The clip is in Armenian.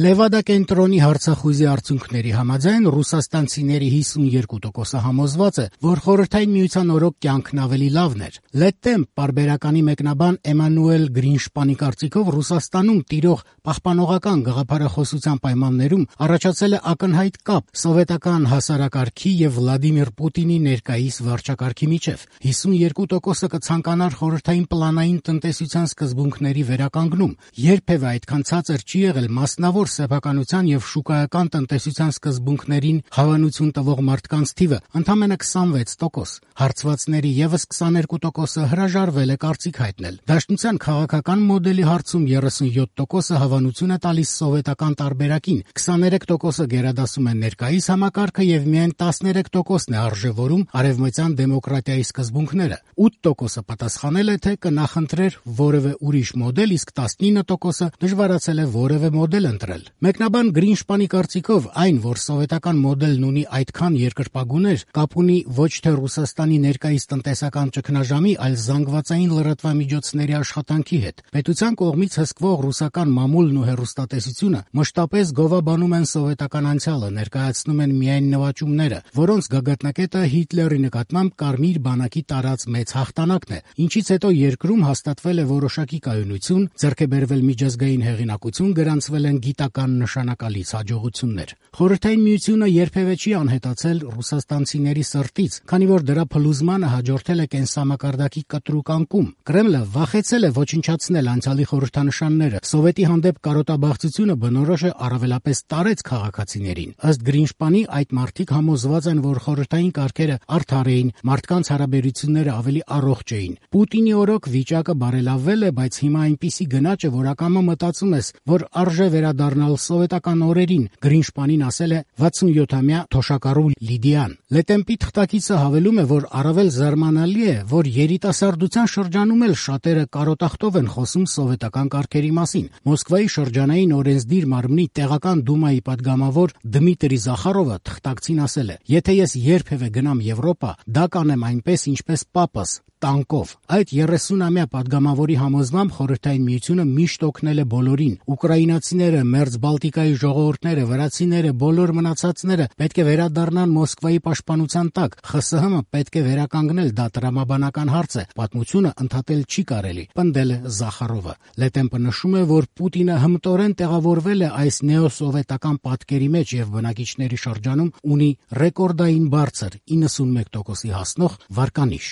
Լևադա կենտրոնի հարցախույզի արդյունքների համաձայն ռուսաստանցիների 52%-ը համոզված է, որ Խորհրդային Միության օրոք կյանքն ավելի լավն էր։ Լետտեմ պարբերականի մեկնաբան Էմանուել Գրինշպանի կարծիքով Ռուսաստանում տիրող պահպանողական գաղափարախոսության պայմաններում առաջացել է ակնհայտ կապ սովետական հասարակարգի եւ Վլադիմիր Պուտինի ներկայիս վարչակարգի միջև։ 52%-ը կցանկանար խորհրդային պլանային տնտեսության սկզբունքների վերականգնում։ Երբևէ այդքան ցածր չի եղել մասնավոր սեփականության եւ շուկայական տնտեսության սկզբունքներին հավանություն տվող մարդկանց թիվը ընդամենը 26%։ Հարցվածների եւս 22%-ը հրաժարվել է կարծիք հայտնել։ Դաշնության քաղաքական մոդելի հարցում 37%-ը հավանություն է տալիս սովետական տարբերակին, 23%-ը գերադասում է ներկայիս համակարգը եւ միայն 13%-ն է արժեվորում արևմտյան դեմոկրատիայի սկզբունքները։ 8%-ը պատասխանել է, թե կնախընտրեր որևէ ուրիշ մոդել, իսկ 19%-ը դժվարացել է որևէ մոդել ընտրել։ Մեկնաբան Գրինշպանի կարծիքով այն, որ սովետական մոդելն ունի այդքան երկրպագուներ, կապ ունի ոչ թե Ռուսաստանի ներկայիս տնտեսական ճգնաժամի, այլ զանգվածային լրատվամիջոցների աշխատանքի հետ։ Պետության կողմից հսկվող ռուսական մամուլն ու հեռուստատեսությունը մշտապես գովաբանում են սովետական անցյալը, ներկայացնում են միայն նվաճումները, որոնց գագաթնակետը Հիտլերի նկատմամբ Կարմիր բանակի տարած մեծ հաղթանակն է, ինչից հետո երկրում հաստատվել է որոշակի կայունություն, ձեռք է բերվել միջազգային հեղինակություն, գրանցվել են գիտական նշանակալից հաջողություններ։ Խորհրդային Միությունը երբևէ չի անհետացել ռուսաստանցիների սրտից, քանի որ դրա փլուզմանը հաջորդել է կենսամակարդակի կտրուկ անկում։ Կրեմլը վախեցել է ոչնչացնել անցյալի խորհրդանշանները։ Սովետի հանդեպ կարոտաբաղձությունը բնորոշ է առավելապես տարեց քաղաքացիներին։ Ըստ Գրինշպանի, այդ մարդիկ համոզված են, որ խորհրդային կարգերը արդար էին, մարդկանց հարաբերությունները ավելի առողջ էին։ Պուտինի օրոք վիճակը բարելավվել է, բայց հիմա այնպիսի գնաճ է, որ ակամա մտածում ես, որ արժե վերադառնալ սովետական օրերին, Գրինշպանին ասել է 67-ամյա թոշակառու Լիդիան։ Լետեմպի թղթակիցը հավելում է, որ առավել զարմանալի է, որ երիտասարդության շրջանում էլ շատերը կարոտախտով են խոսում սովետական կարգերի մասին։ Մոսկվայի շրջանային օրենսդիր մարմնի տեղական դումայի падգամավոր Դմիտրի Զախարովը թղթակցին ասել է. «Եթե ես երբևէ գնամ Եվրոպա, դա կանեմ այնպես, ինչպես պապս, տանկով»։ Այդ 30-ամյա падգամավորի համոզմամբ Խորհրդային Միությունը միշտ օգնել է բոլորին։ Ուկրաինացիները, Մերձ Բալտիկայի ժողովուրդները, վրացիները, բոլոր մնացածները պետք է վերադառնան Մոսկվայի պաշտպանության տակ։ ԽՍՀՄ պետք է վերականգնել, դա տրամաբանական հարց է։ Պատմությունը ընդհատել չի կարելի, պնդել է Զախարովը։ Լետեմպը նշում է, որ Պուտինը հմտորեն տեղավորվել է այս նեոսովետական պատկերի մեջ եւ բնակիչների շրջանում ունի ռեկորդային բարձր 91%-ի հասնող վարկանիշ։